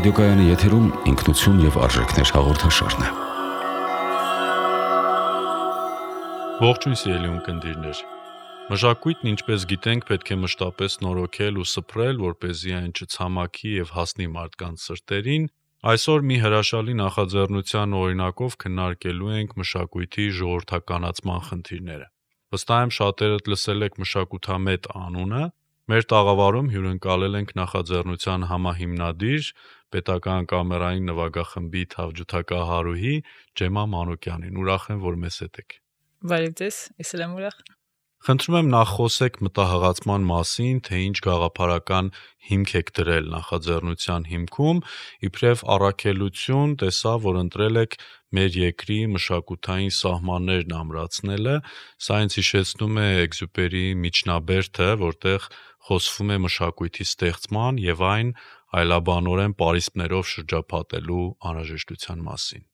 Ռադիոկայանի եթերում ինքնություն եւ արժեքներ հաղորդաշարն է։ Ողջույն սիրելի ունկնդիրներ։ Մշակույթն, ինչպես գիտենք, պետք է մշտապես նորոգել ու սփռել, որպեսզի այն չցամաքի եւ հասնի մարդկանց սրտերին։ Այսօր մի հրաշալի նախաձեռնության օրինակով քննարկելու ենք մշակույթի ժողովրդականացման խնդիրները։ Վստահ եմ շատերդ լսել եք մշակութամետ անունը։ Մեր տաղավարում հյուրընկալել ենք նախաձեռնության համահիմնադիր, պետական կամերային նվագախմբի թավջութակահարուհի Ջեմա Մանուկյանին։ Ուրախ եմ, որ մեզ հետ եք։ Բարև ձեզ, ես էլ եմ ուրախ։ Խնդրում եմ նախ խոսեք մտահղացման մասին, թե ինչ գաղափարական հիմք եք դրել նախաձեռնության հիմքում, իբրև առաքելություն տեսա, որ ընտրել եք մեր երկրի մշակութային սահմաններն ամրացնելը, սա ինձ հիշեցնում է Էքզյուպերիի Միջնաբերդը, որտեղ խոսվում է մշակույթի ստեղծման եւ այն այլաբանորեն պարիսպներով շրջապատելու անհրաժեշտության մասին։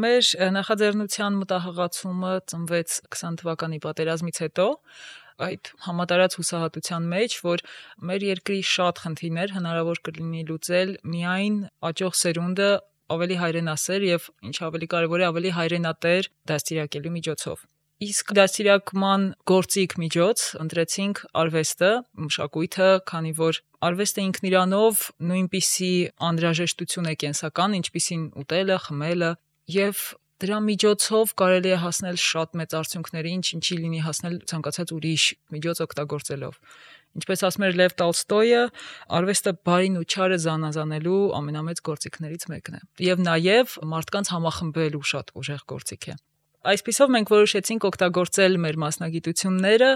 Մեր նախաձեռնության մտահղացումը ծնվեց 20 թվականի պատերազմից հետո, այդ համատարած հուսահատության մեջ, որ մեր երկրի շատ խնդիրներ հնարավոր կլինի լուծել միայն աճող սերունդը ավելի հայրենասեր եւ ինչ ավելի կարեւոր է, ավելի հայրենատեր դաստիարակելու միջոցով։ Իսկ դաստիարակման գործիք միջոց ընտրեցինք արվեստը, մշակույթը, քանի որ արվեստը ինքն իրանով նույնպիսի անհրաժեշտություն է կենսական, ինչպիսին ուտելը, խմելը, եւ դրա միջոցով կարելի է հասնել շատ մեծ արդյունքների, ինչի լինի հասնել ցանկացած ուրիշ միջոց օգտագործելով։ Ինչպես ասում էր Լև Տոլստոյը, արվեստը բարին ու չարը զանազանելու ամենամեծ գործիքներից մեկն է։ Եվ նաև մարդկանց համախմբելու շատ ուժեղ գործիք է։ Այսպիսով մենք որոշեցինք օգտագործել մեր մասնագիտությունները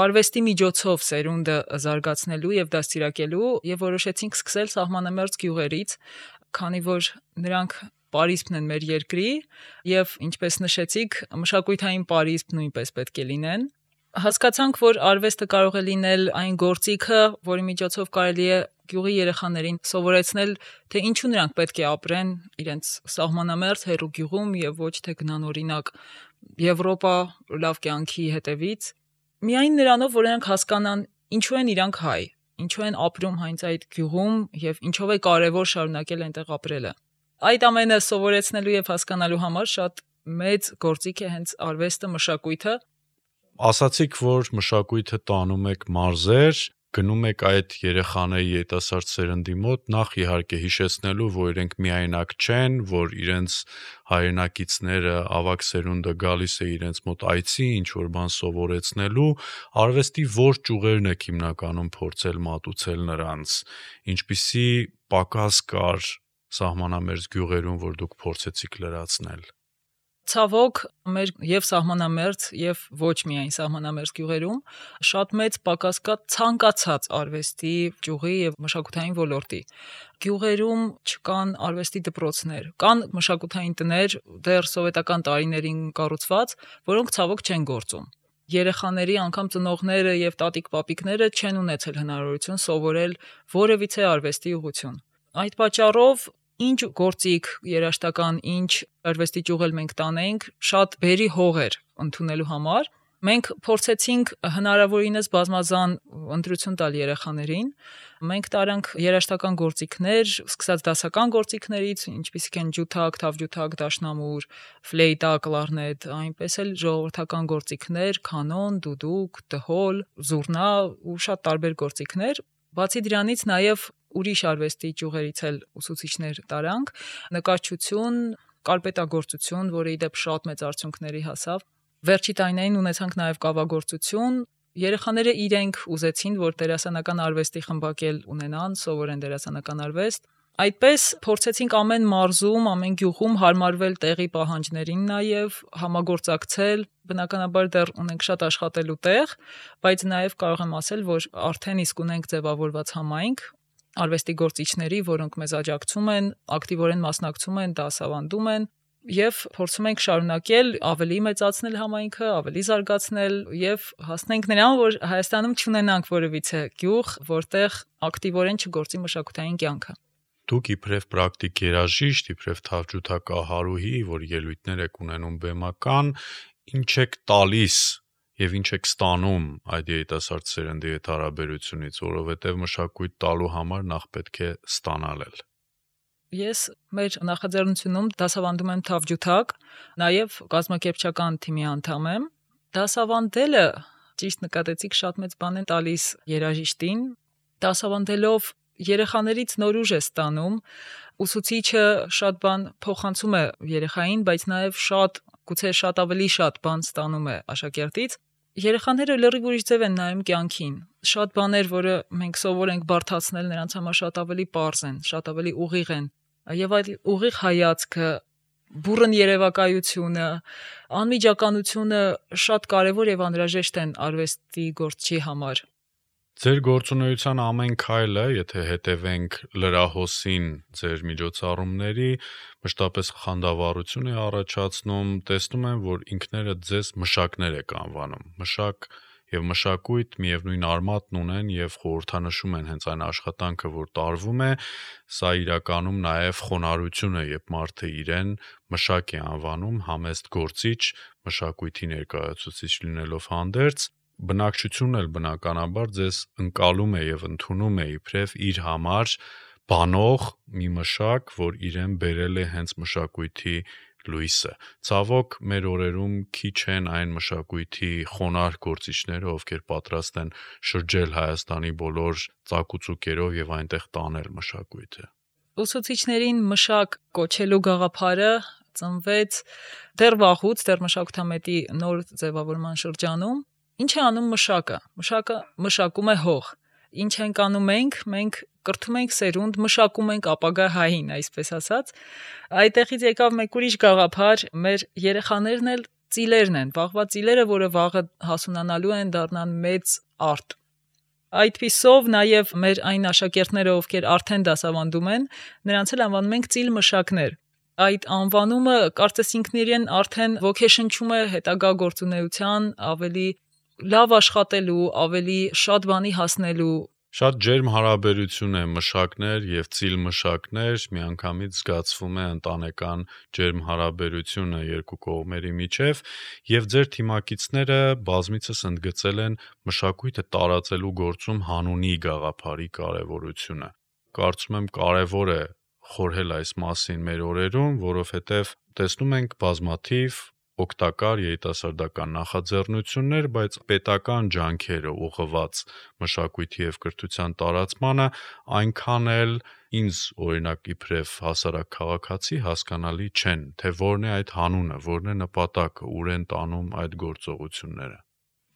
արվեստի միջոցով սերունդը զարգացնելու եւ դաստիարակելու եւ որոշեցինք սկսել սահմանամերձ գյուղերից, քանի որ նրանք պարիսպն են մեր երկրի եւ ինչպես նշեցիք, մշակութային պարիսպ նույնպես պետք է լինեն։ Հասկացանք, որ արվեստը կարող է լինել այն գործիքը, որի միջոցով կարելի է գյուղի երեխաներին սովորեցնել, թե ինչու նրանք պետք է ապրեն իրենց սահմանամերձ հեռու գյուղում եւ ոչ թե գնան օրինակ Եվրոպա լավ կյանքի հետևից։ Միայն նրանով, որ նրանք հասկանան ինչու են իրանք հայ, ինչու են ապրում հենց այդ գյուղում եւ ինչով է կարեւոր շարունակել այնտեղ ապրելը։ Այդ ամենը սովորեցնելու եւ հասկանալու համար շատ մեծ գործիք է հենց արվեստը, մշակույթը։ Ասացիք, որ մշակույթը տանում եք մարզեր, գնում եք այդ երեխաների երիտասարդ սերնդի մոտ, նախ իհարկե հիշեցնելու, որ իրենք միայնակ չեն, որ իրենց հայրենակիցները, ավագ սերունդը գալիս է իրենց մոտ այցի, ինչ որ բան սովորեցնելու, արվեստի որ ճյուղերն եք հիմնականում փորձել մատուցել նրանց, ինչպիսի պակաս կար սահմանամերձ գյուղերում, որ դուք փորձեցիք լրացնել։ Ցավոք, մեր եւ սահմանամերձ եւ ոչ միայն սահմանամերձ գյուղերում շատ մեծ պակաս կա ցանկացած արվեստի ճյուղի եւ մշակութային ոլորտի։ Գյուղերում չկան արվեստի դպրոցներ, կան մշակութային տներ դեռ սովետական տարիներին կառուցված, որոնք ցավոք չեն գործում։ Երեխաների անգամ ծնողները եւ տատիկ-պապիկները չեն ունեցել հնարավորություն սովորել որևիցե արվեստի ուղղություն։ Այդ պատճառով ինչ գործիք երաշտական, ինչ արվեստի ճյուղ մենք տանենք, շատ բերի հող էր ընդունելու համար։ Մենք փորձեցինք հնարավորինս բազմազան ընտրություն տալ երեխաներին։ Մենք տարանք երաշտական գործիքներ, սկսած դասական գործիքներից, ինչպիսիք են ջութակ, թավջութակ, դաշնամուր, ֆլեյտա, կլարնետ, այնպես էլ ժողովրդական գործիքներ, կանոն, դուդուկ, դհոլ, զուռնա ու շատ տարբեր գործիքներ։ Բացի դրանից նաև ուրիշ արվեստի ճյուղերից էլ ուսուցիչներ տարանք, նկարչություն, կարպետագործություն, որը ի դեպ շատ մեծ արդյունքների հասավ։ Վերջի տարիներին ունեցանք նաև կավագործություն։ Երեխաները իրենք ուզեցին, որ դերասանական արվեստի խմբակել ունենան, սովորեն դերասանական արվեստ։ Այդպես փորձեցինք ամեն մարզում, ամեն գյուղում հարմարվել տեղի պահանջներին նաև, համագործակցել։ Բնականաբար դեռ ունենք շատ աշխատելու տեղ, բայց նաև կարող եմ ասել, որ արդեն իսկ ունենք ձևավորված համայնք արվեստի գործիչների, որոնք մեզ աջակցում են, ակտիվորեն մասնակցում են, դասավանդում են եւ փորձում ենք շարունակել ավելի մեծացնել համայնքը, ավելի զարգացնել եւ հասնենք նրան, որ Հայաստանում չունենանք որևիցե գյուղ, որտեղ ակտիվորեն չգործի մշակութային կյանքը։ Դուք իբրև պրակտիկ երաժիշտ, իբրև թավջութակահարուհի, որ ելույթներ եք ունենում բեմական, ինչ եք տալիս եւ ինչ եք ստանում այդ երիտասարդ սերնդի հետ հարաբերությունից, որովհետեւ մշակույթ տալու համար նախ պետք է ստանալ էլ։ Ես մեր նախաձեռնությունում դասավանդում եմ թավջութակ, նաև կազմակերպչական թիմի անդամ եմ։ Դասավանդելը, ճիշտ նկատեցիք, շատ մեծ բան է տալիս երաժիշտին։ Դասավանդելով երեխաներից նոր ուժ է ստանում, ուսուցիչը շատ բան փոխանցում է երեխային, բայց նաև գուցե շատ ավելի շատ բան ստանում է աշակերտից։ Երեխաները լրիվ ուրիշ ձև են նայում կյանքին։ Շատ բաներ, որը մենք սովոր ենք բարդացնել, նրանց համար շատ ավելի պարզ են, շատ ավելի ուղիղ են։ Եվ այդ ուղիղ հայացքը, բուռն երևակայությունը, անմիջականությունը շատ կարևոր եւ անհրաժեշտ են արվեստի գործչի համար։ Ձեր գործունեության ամեն քայլը, եթե հետևենք լրահոսին ձեր միջոցառումների, մշտապես խանդավառություն է առաջացնում, տեսնում եմ, որ ինքներդ ձեզ մշակներ եք անվանում։ Մշակ եւ մշակույթ միևնույն արմատն ունեն եւ խորհրդանշում են հենց այն աշխատանքը, որ տարվում է, սա իրականում նաեւ խոնարհություն է, երբ մարդը իրեն մշակ է անվանում, համեստ գործիչ, մշակույթի ներկայացուցիչ լինելով հանդերձ, բնակչությունն էլ բնականաբար ձեզ ընկալում է եւ ընդունում է իբրև իր համար բանող մի մշակ, որ իրեն բերել է հենց մշակույթի լույսը։ Ցավոք, մեր օրերում քիչ են այն մշակույթի խոնարհ գործիչները, ովքեր պատրաստ են շրջել Հայաստանի բոլոր ծակուծուկերով եւ այնտեղ տանել մշակույթը։ Ուսուցիչներին մշակ կոչելու գաղափարը ծնվեց դեռ վաղուց, դեռ մշակութամետի նոր ձևավորման շրջանում։ Ինչ է անում մշակը։ Մշակը մշակում է հող։ Ինչ ենք անում մենք կրթում ենք սերունդ, մշակում ենք ապագա հային, այսպես ասած։ Այդտեղից եկավ մեկ ուրիշ գաղափար, մեր երեխաներն էլ ծիլերն են, վաղվա ծիլերը, որը վաղը հասունանալու են, դառնան մեծ արտ։ Այդպիսով նաև մեր այն աշակերտները, ովքեր արդեն դասավանդում են, նրանց էլ անվանում ենք ծիլ մշակներ։ Այդ անվանումը կարծես ինքնիրեն արդեն ոգեշնչում է հետագա գործունեության, ավելի լավ աշխատելու, ավելի շատ բանի հասնելու։ Շատ ջերմ հարաբերություն է մշակներ եւ ծիլ մշակներ, միանգամից զգացվում է ընտանեկան ջերմ հարաբերությունը երկու կողմերի միջև, եւ ձեր թիմակիցները բազմիցս ընդգծել են մշակույթը տարածելու գործում հանունի գաղափարի կարեւորությունը։ Կարծում եմ կարեւոր է խորհել այս մասին մեր օրերում, որովհետեւ տեսնում ենք բազմաթիվ օգտակար երիտասարդական նախաձեռնություններ, բայց պետական ջանքերը ուղղված մշակույթի եւ կրթության տարածմանը այնքան էլ ինձ օրինակ իբրև հասարակ քաղաքացի հասկանալի չեն, թե որն է այդ հանունը, որն է նպատակը, ուր են տանում այդ գործողությունները։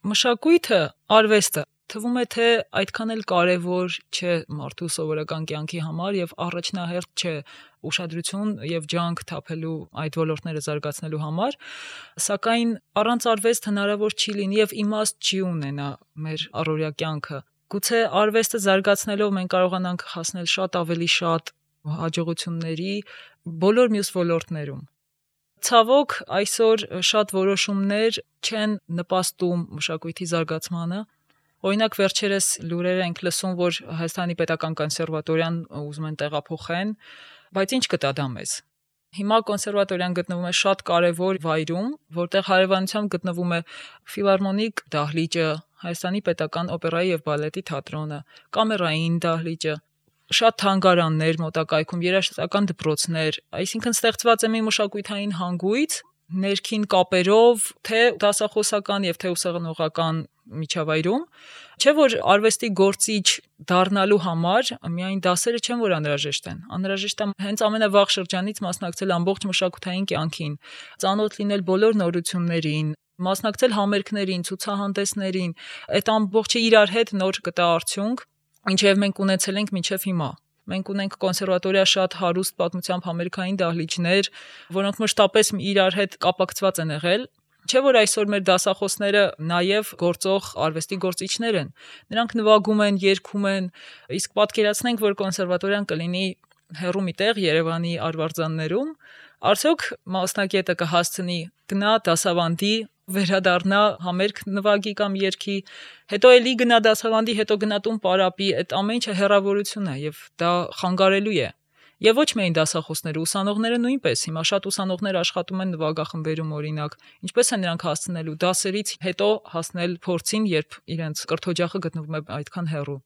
Մշակույթը, արվեստը թվում է թե այդքան էլ կարևոր չէ մարդու սովորական կյանքի համար եւ առաջնահերթ չէ ուշադրություն եւ ջանք թափելու այդ ոլորտները զարգացնելու համար, սակայն առանց արվեստ հնարավոր չի լինի եւ իմաստ չի ունենա մեր առօրյա կյանքը։ Գուցե արվեստը զարգացնելով մենք կարողանանք հասնել շատ ավելի շատ հաջողությունների բոլոր մյուս ոլորտներում։ Ցավոք, այսօր շատ որոշումներ չեն նպաստում մշակույթի զարգացմանը։ Օրինակ վերջերս լուրեր ենք լսում, որ Հայաստանի պետական կոնսերվատորիան ուզում են տեղափոխեն, բայց ինչ կտա դա մեզ։ Հիմա կոնսերվատորիան գտնվում է շատ կարևոր վայրում, որտեղ հարևանությամբ գտնվում է ֆիլհարմոնիկ դահլիճը, Հայաստանի պետական օպերայի եւ բալետի թատրոնը, կամերային դահլիճը, շատ թանգարաններ մոտակայքում, երաժշտական դպրոցներ, այսինքն ստեղծված է մի մշակութային հանգույց ներքին կապերով, թե դասախոսական եւ թե ուսանողական միջավայրում, չէ որ արվեստի գործիչ դառնալու համար միայն դասերը չեն որ անհրաժեշտ են։ Անհրաժեշտ է հենց ամենավաղ շրջանից մասնակցել ամբողջ մշակութային կյանքին, ծանոթ լինել բոլոր նորություններին, մասնակցել համերգներին, ցուցահանդեսներին, այդ ամբողջը իրար հետ նոր կտա արդյունք, ինչև մենք ունեցել ենք մինչև հիմա։ Մենք ունենք կոնսերվատորիա շատ հարուստ պատմությամբ համերգային դահլիճներ, որոնք մշտապես իրար հետ կապակցված են եղել։ Չէ որ այսօր մեր դասախոսները նաև գործող արվեստի գործիչներ են։ Նրանք նվագում են, երգում են, իսկ պատկերացնենք, որ կոնսերվատորիան կլինի հեռու մի տեղ Երևանի արվարձաններում, արդյոք մասնակետը կհասցնի գնա դասավանդի, վերադառնա համերգ նվագի կամ երգի, հետո էլի գնա դասավանդի, հետո գնա տուն պարապի, այդ ամեն ինչը հեռավորություն է եւ դա խանգարելու է։ Եվ ոչ միայն դասախոսները, ուսանողները նույնպես, հիմա շատ ուսանողներ աշխատում են նվագախմբերում օրինակ, ինչպես են նրանք հասցնելու դասերից հետո հասնել փորձին, երբ իրենց կրթօջախը գտնվում է այդքան հեռու։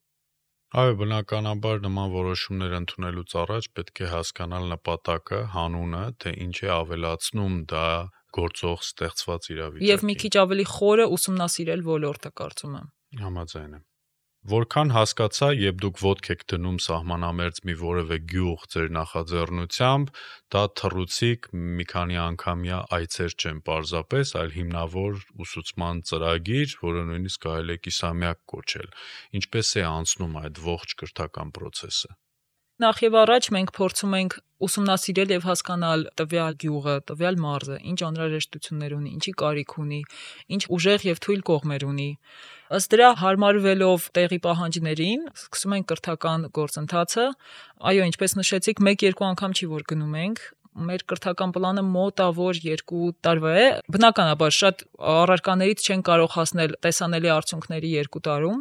Այո, բնականաբար նման որոշումներ ընդունելուց առաջ պետք է հասկանալ նպատակը, հանունը, թե ինչ է ավելացնում դա գործող ստեղծված իրավիճակին։ Եվ մի քիչ ավելի խորը ուսումնասիրել ոլորտը, կարծում եմ։ Համաձայն եմ։ Որքան հասկացա, երբ դուք ոտք եք դնում սահմանամերձ մի որևէ գյուղ ձեր նախաձեռնությամբ, դա թռուցիկ մի քանի անգամյա այցեր չեն պարզապես, այլ հիմնավոր ուսուցման ծրագիր, որը նույնիսկ կարելի է կիսամյակ կոչել։ Ինչպես է անցնում այդ ողջ կրթական process-ը։ Նախ եւ առաջ մենք փորձում ենք ուսումնասիրել եւ հասկանալ տվյալ գյուղը, տվյալ մարզը, ինչ անհրաժեշտություններ ունի, ինչի կարիք ունի, ինչ ուժեղ եւ թույլ կողմեր ունի։ Ըստ դրա հարմարվելով տեղի պահանջներին, սկսում ենք կրթական գործընթացը։ Այո, ինչպես նշեցիք, 1-2 անգամ չի որ գնում ենք։ Մեր կրթական պլանը մոտավոր 2 տարվա է։ Բնականաբար շատ առարկաներից չեն կարող հասնել տեսանելի արդյունքների 2 տարում,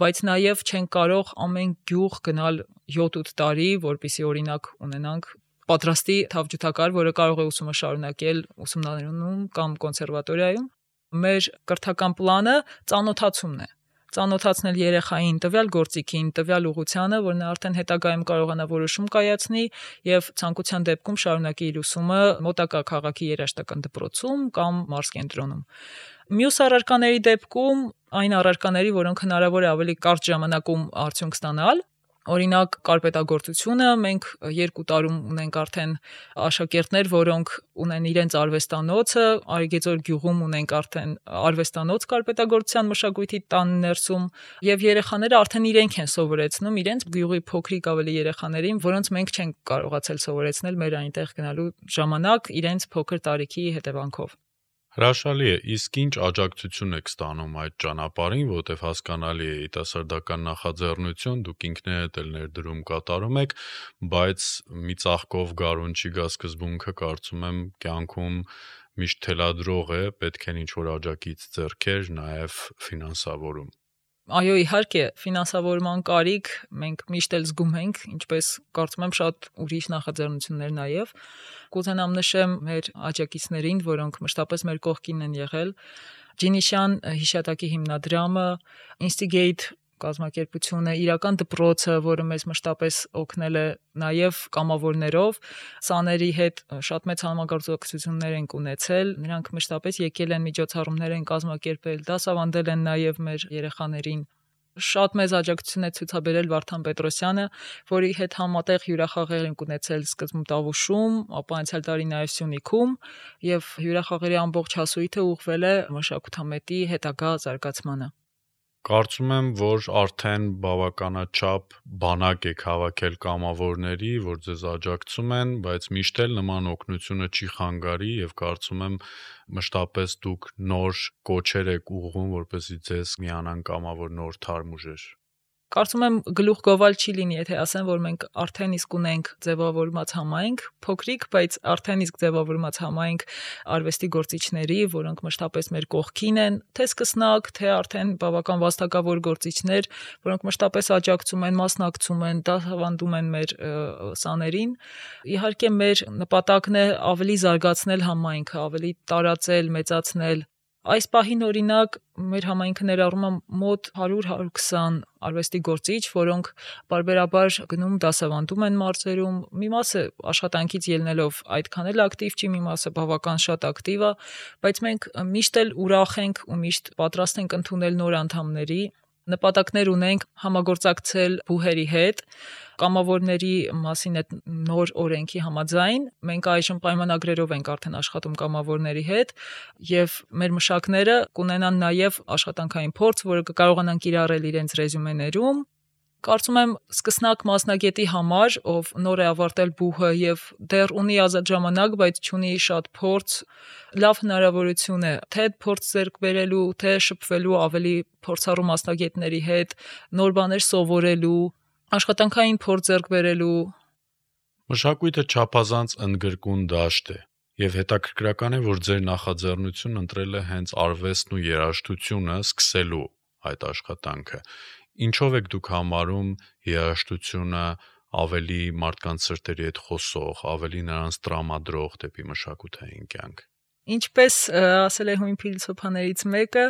բայց նաև չեն կարող ամեն գյուղ գնալ 7-8 տարի, որպեսզի օրինակ ունենանք պատրաստի թավջութակար, որը կարող է ուսումը շարունակել ուսումնարանում կամ կոնսերվատորիայում։ Մեր կրթական պլանը ծանոթացումն է։ Ծանոթացնել երեխային տվյալ գործիքին, տվյալ ուղղությանը, որ նա արդեն հետագայում կարողանա որոշում կայացնի եւ ցանկության դեպքում շարունակի իր ուսումը մոտակա քաղաքի երաժշտական դպրոցում կամ մարզկենտրոնում։ Մյուս առարկաների դեպքում այն առարկաների, որոնք հնարավոր է ավելի կարճ ժամանակում արդյունք ստանալ, օրինակ կարպետագործությունը, մենք 2 տարում ունենք արդեն աշակերտներ, որոնք ունեն իրենց արվեստանոցը, Արիգեծոր գյուղում ունենք արդեն արվեստանոց կարպետագործության մշակույթի տան ներսում, եւ երեխաները արդեն իրենք են սովորեցնում իրենց գյուղի փոքրիկ ավելի երեխաներին, որոնց մենք չենք կարողացել սովորեցնել մեր այնտեղ գնալու ժամանակ իրենց փոքր տարիքի հետևանքով։ Հրաշալի է, իսկ ինչ աջակցություն եք ստանում այդ ճանապարհին, որտեղ հասկանալի է երիտասարդական նախաձեռնություն, դուք ինքներդ էլ ներդրում կատարում եք, բայց մի ծաղկով գարուն չի գա սկզբունքը, կարծում եմ կյանքում միշտ թելադրող է, պետք են ինչ-որ աջակից ձեռքեր, նաև ֆինանսավորում։ Այո, իհարկե, ֆինանսավորման կարիք մենք միշտ էլ զգում ենք, ինչպես կարծում եմ շատ ուրիշ նախաձեռնություններ նաև։ Կուզենամ նշեմ մեր աջակիցներին, որոնք մշտապես մեր կողքին են եղել։ Ջինիշյան հիշատակի հիմնադրամը, Instigate կազմակերպությունը, իրական դպրոցը, որը մեզ մշտապես օգնել է նաև կամավորներով, սաների հետ շատ մեծ համագործակցություններ ենք ունեցել, նրանք մշտապես եկել են միջոցառումներ են կազմակերպել, դասավանդել են նաև մեր երեխաներին։ Շատ մեծ աջակցություն է ցուցաբերել Վարդան Պետրոսյանը, որի հետ համատեղ հյուրախաղեր ենք ունեցել սկզբում Տավուշում, ապա անցյալ տարի նաև Սյունիքում, եւ հյուրախաղերի ամբողջ հասույթը ուղղվել է մշակութամետի հետագա զարգացմանը։ Կարծում եմ, որ արդեն բավականաչափ բանակ եք հավաքել կամավորների, որ ձեզ աջակցում են, բայց միշտ էլ նման օգնությունը չի խանգարի եւ կարծում եմ մշտապես դուք նոր կոչեր եք ուղղում, որպեսզի ձեզ միանան կամավոր նոր թարմ ուժեր։ Կարծում եմ գլուխ գովալ չի լինի, եթե ասեմ, որ մենք արդեն իսկ ունենք ձևավորված համայնք, փոքրիկ, բայց արդեն իսկ ձևավորված համայնք արվեստի գործիչների, որոնք մշտապես մեր կողքին են, թե սկսնակ, թե արդեն բավական վաստակավոր գործիչներ, որոնք մշտապես աջակցում են, մասնակցում են, դասավանդում են մեր սաներին։ Իհարկե մեր նպատակն է ավելի զարգացնել համայնքը, ավելի տարածել, մեծացնել։ Այս պահին օրինակ մեր համայնքը ներառում է մոտ 100-120 արվեստի գործիչ, որոնք բարբերաբար գնում դասավանդում են մարզերում, մի մասը աշխատանքից ելնելով այդքան էլ ակտիվ չի, մի մասը բավական շատ ակտիվ է, բայց մենք միշտ էլ ուրախ ենք ու միշտ պատրաստ ենք ընդունել նոր անդամների, նպատակներ ունենք համագործակցել բուհերի հետ, կամավորների մասին այդ նոր օրենքի համաձայն մենք այժմ պայմանագրերով ենք արդեն աշխատում կամավորների հետ եւ մեր մշակները կունենան նաեւ աշխատանքային փորձ, որը կկարողանան կիրառել իրենց ռեզյումեներում։ Կարծում եմ սկսնակ մասնագետի համար, ով նոր է ավարտել բուհը եւ դեռ ունի ազատ ժամանակ, բայց չունի շատ փորձ, լավ հնարավորություն է թե փորձ ձեռք բերելու, թե շփվելու ավելի փորձառու մասնագետների հետ, նոր բաներ սովորելու, աշխատանքային փորձ ձեռք բերելու։ Մշակույթը չափազանց ընդգրկուն դաշտ է եւ հետաքրքրական է, որ ձեր նախաձեռնությունն ընտրել է հենց արվեստն ու երաժշտությունը սկսելու այդ աշխատանքը։ Ինչով եք դուք համարում երաժշտությունը ավելի մարդկանց սրտերի հետ խոսող, ավելի նրանց տրամադրող դեպի մշակութային կյանք։ Ինչպես ասել է հույն փիլիսոփաներից մեկը,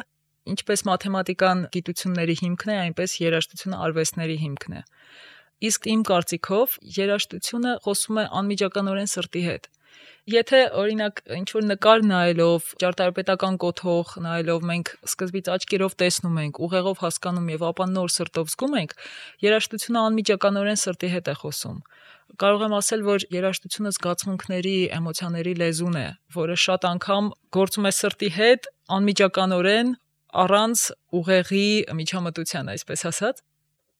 Ինչպես մաթեմատիկան գիտությունների հիմքն է, այնպես երաժշտությունը արվեստների հիմքն է։ Իսկ իմ կարծիքով երաժշտությունը խոսում է անմիջականորեն սրտի հետ։ Եթե օրինակ ինչ-որ նկար նայելով, ճարտարապետական կոթող նայելով մենք սկզբից աչքերով տեսնում ենք, ուղեղով հասկանում եւ ապա նոր սրտով զգում ենք, երաժշտությունը անմիջականորեն սրտի հետ է խոսում։ Կարող եմ ասել, որ երաժշտությունը զգացմունքների, էմոցիաների լեզուն է, որը շատ անգամ գործում է սրտի հետ անմիջականորեն, առանց ուղեղի միջամտության, այսպես ասած։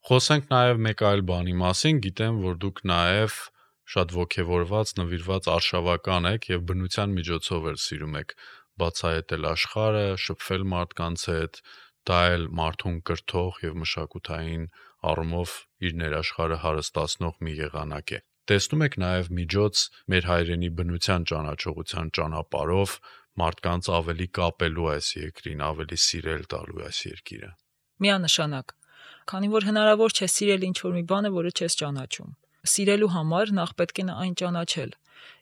Խոսենք նաև մեկ այլ բանի մասին, գիտեմ, որ դուք նաև շատ ոգևորված, նվիրված արշավական եք եւ բնության միջոցով էլ սիրում եք բացահայտել աշխարհը, շփվել մարդկանց հետ, դա էլ մարդուն կրթող եւ մշակութային առումով իր ներաշխարհը հարստացնող մի եղանակ է։ Տեսնում եք նաև միջոց մեր հայրենի բնության ճանաչողության ճանապարհով մարդկանց ավելի կապելու այս երկրին, ավելի սիրել տալու այս երկիրը։ Միանշանակ, քանի որ հնարավոր չէ սիրել ինչ-որ մի բանը, որը չես ճանաչում։ Սիրելու համար նախ պետք է այն ճանաչել։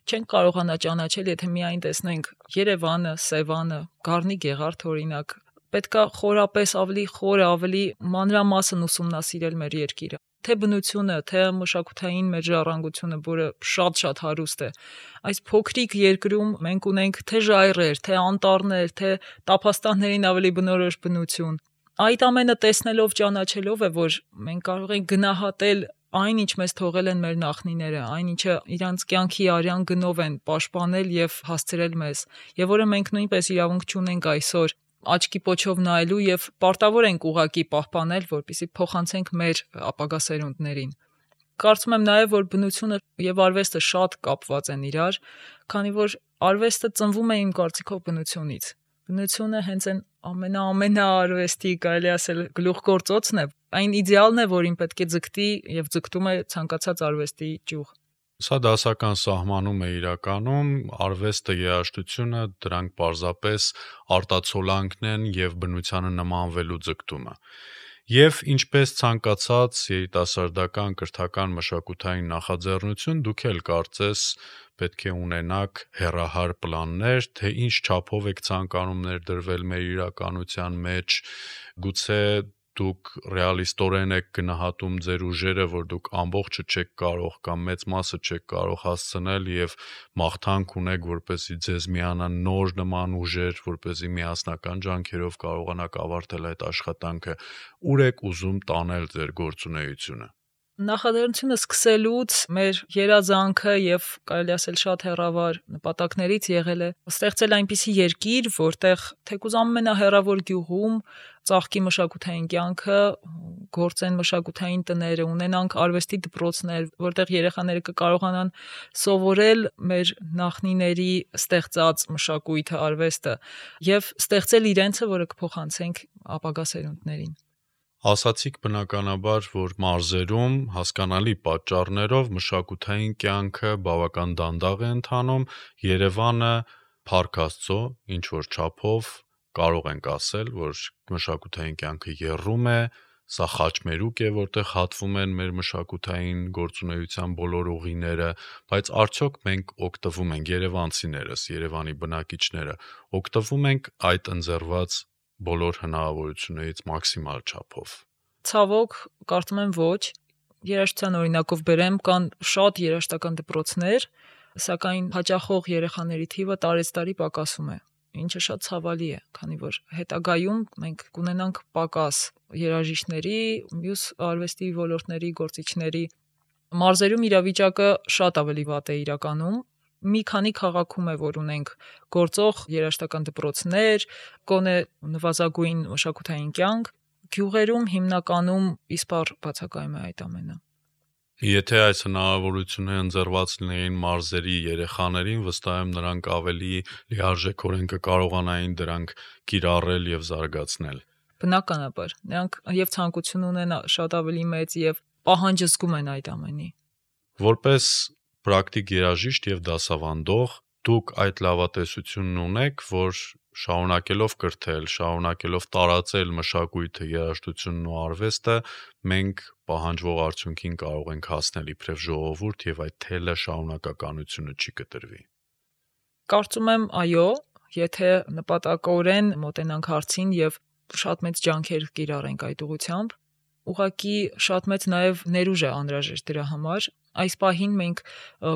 Չենք կարողանա ճանաչել, եթե միայն տեսնենք Երևանը, Սևանը, Գառնի Գեղարդ օրինակ։ Պետքա խորապես ավելի խորը, ավելի մանրամասն ուսումնասիրել մեր երկիրը։ Թե բնությունը, թե մշակութային մեր ժառանգությունը, որը շատ հարուստ է։ Այս փոքրիկ երկրում մենք ունենք թե ժայռեր, թե անտառներ, թե տափաստաններին ավելի բնորոշ բնություն։ Այդ ամենը տեսնելով, ճանաչելով է, որ մենք կարող ենք գնահատել այն, ինչ մեզ թողել են մեր նախնիները, այն ինչը իրանց կյանքի արյան գնով են պաշտպանել եւ հասցրել մեզ, եւ որը մենք նույնպես իրավունք չունենք այսօր աչքի պոչով նայելու եւ պարտավոր ենք ուղակի պահպանել, որպեսզի փոխանցենք մեր ապագա սերունդներին։ Կարծում եմ նաեւ, որ բնությունը եւ արվեստը շատ կապված են իրար, քանի որ արվեստը ծնվում է իմ կարծիքով բնությունից։ Բնությունը հենց այն ամենաարվեստի, կարելի ասել, գլուխգործոցն է, այն իդեալն է, որին պետք է ձգտի եւ ձգտում է ցանկացած արվեստի ճյուղ։ Սա դասական սահմանում է իրականում, արվեստը, երաժշտությունը, դրանք պարզապես արտացոլանքն են եւ բնությանը նմանվելու ձգտումը։ Եվ ինչպես ցանկացած երիտասարդական կրթական մշակութային նախաձեռնություն, դուք էլ կարծես պետք է ունենաք հեռահար պլաններ, թե ինչ չափով եք ցանկանում ներդրվել մեր իրականության մեջ, գուցե դուք ռեալիստորեն եք գնահատում ձեր ուժերը, որ դուք ամբողջը չեք կարող կամ մեծ մասը չեք կարող հասցնել եւ մաղթանք ունեք, որպեսզի ձեզ միանան նոր նման ուժեր, որպեսզի միասնական ջանքերով կարողանաք ավարտել այդ աշխատանքը, ուր եք ուզում տանել ձեր գործունեությունը։ Նախաձեռնությունը սկսելուց մեր երազանքը եւ կարելի ասել շատ հեռավար նպատակներից եղել է ստեղծել այնպիսի երկիր, որտեղ թեկուզ ամենահեռավոր գյուղում ծաղկի մշակութային կյանքը, գործեն մշակութային տները, ունենանք արվեստի դպրոցներ, որտեղ երեխաները կկարողանան սովորել մեր նախնիների ստեղծած մշակույթը, արվեստը եւ ստեղծել իրենցը, որը կփոխանցենք ապագա սերունդներին։ Ասացիք բնականաբար, որ մարզերում հասկանալի պատճառներով մշակութային կյանքը բավական դանդաղ է ընթանում, Երևանը փառք Աստծո, ինչ որ չափով կարող ենք ասել, որ մշակութային կյանքը եռում է, սա խաչմերուկ է, որտեղ հատվում են մեր մշակութային գործունեության բոլոր ուղիները, բայց արդյոք մենք օգտվում ենք երևանցիներս, Երևանի բնակիչները, օգտվում ենք այդ ընձեռված բոլոր հնարավորություններից մաքսիմալ չափով։ Ցավոք, կարծում եմ ոչ։ Երաժշտության օրինակով բերեմ, կան շատ երաժշտական դպրոցներ, սակայն հաճախող երեխաների թիվը տարեցտարի պակասում է, ինչը շատ ցավալի է, քանի որ հետագայում մենք կունենանք պակաս երաժիշտների, մյուս արվեստի ոլորտների գործիչների։ Մարզերում իրավիճակը շատ ավելի վատ է իրականում։ Մի քանի քաղաքում է, որ ունենք գործող երաժշտական դպրոցներ, գոնե նվազագույն մշակութային կյանք, գյուղերում հիմնականում իսպառ բացակայում է այդ ամենը։ Եթե այս հնարավորությունը ընձեռված լինեին մարզերի երեխաներին, վստահ եմ նրանք ավելի լիարժեքորեն կկարողանային դրանք կիրառել եւ զարգացնել։ Բնականաբար, նրանք եւ ցանկություն ունեն շատ ավելի մեծ եւ պահանջ զգում են այդ ամենի։ Որպես պրակտիկ երաժիշտ եւ դասավանդող դուք այդ լավատեսությունն ունեք, որ շարունակելով կրթել, շարունակելով տարածել մշակույթը, երաժշտությունն ու արվեստը, մենք պահանջվող արդյունքին կարող ենք հասնել իբրև ժողովուրդ եւ այդ թելը շարունակականությունը չի կտրվի։ Կարծում եմ, այո, եթե նպատակորեն մոտենանք հարցին եւ շատ մեծ ջանքեր կիրառենք այդ ուղղությամբ։ Ուղղակի շատ մեծ նաև ներուժ է անհրաժեշտ դրա համար։ Այս պահին մենք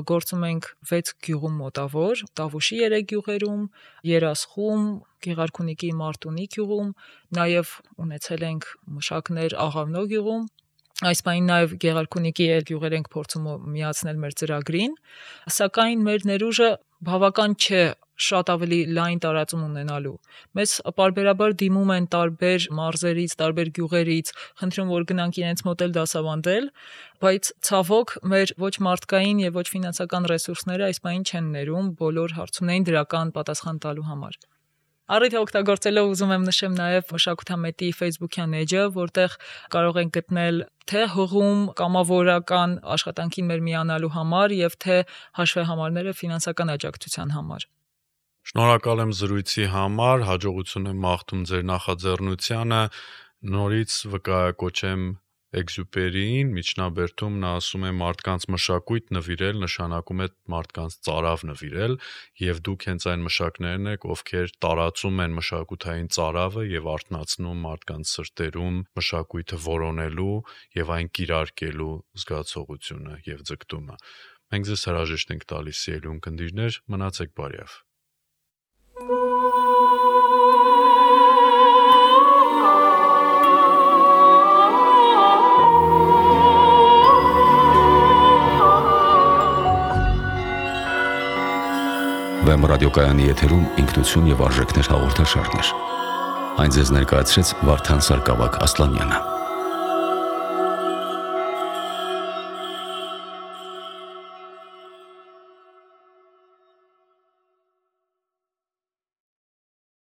գործում ենք 6 գյուղում մոտավոր, Տավուշի 3 գյուղերում, Երասխում, Գեղարքունիքի Մարտունի գյուղում, նաև ունեցել ենք մշակներ Աղավնո գյուղում։ Այս պահին նաև Գեղարքունիքի գյուղեր ենք փորձում միացնել մեր ծրագրին, սակայն մեր ներուժը բավական չէ շատ ավելի լայն տարածում ունենալու։ Մեզ պարբերաբար դիմում են տարբեր մարզերից, տարբեր գյուղերից, խնդրում որ գնանք իրենց մոտ էլ դասավանդել, բայց ցավոք մեր ոչ մարդկային եւ ոչ ֆինանսական ռեսուրսները այս պահին չեն ներում բոլոր հարցումներին դրական պատասխան տալու համար։ Առիթը օգտագործելով ուզում եմ նշեմ նաև մշակութամետի Facebook-յան էջը, որտեղ կարող են գտնել թե հղում կամավորական աշխատանքին մեր միանալու համար եւ թե հաշվեհամարները ֆինանսական աջակցության համար։ Շնորհակալ եմ զրույցի համար, հաջողություն եմ մաղթում ձեր նախաձեռնությանը, նորից վկայակոչեմ Էքզյուպերիին, միջնաբերդում նա ասում է մարդկանց մշակույթ նվիրել, նշանակում է մարդկանց ծարավ նվիրել, եւ դուք հենց այն մշակներն եք, ովքեր տարածում են մշակութային ծարավը եւ արթնացնում մարդկանց սրտերում մշակույթը որոնելու եւ այն կիրարկելու զգացողությունը եւ ձգտումը։ Մենք ձեզ հրաժեշտ ենք տալիս, սիրելի ունկնդիրներ, մնացեք բարյավ։ Վեմ ռադիոկայանի եթերում ինքնություն եւ արժեքներ հաղորդաշարներ։ Այն ձեզ ներկայացրեց Վարդան Սարգսակ Ասլանյանը։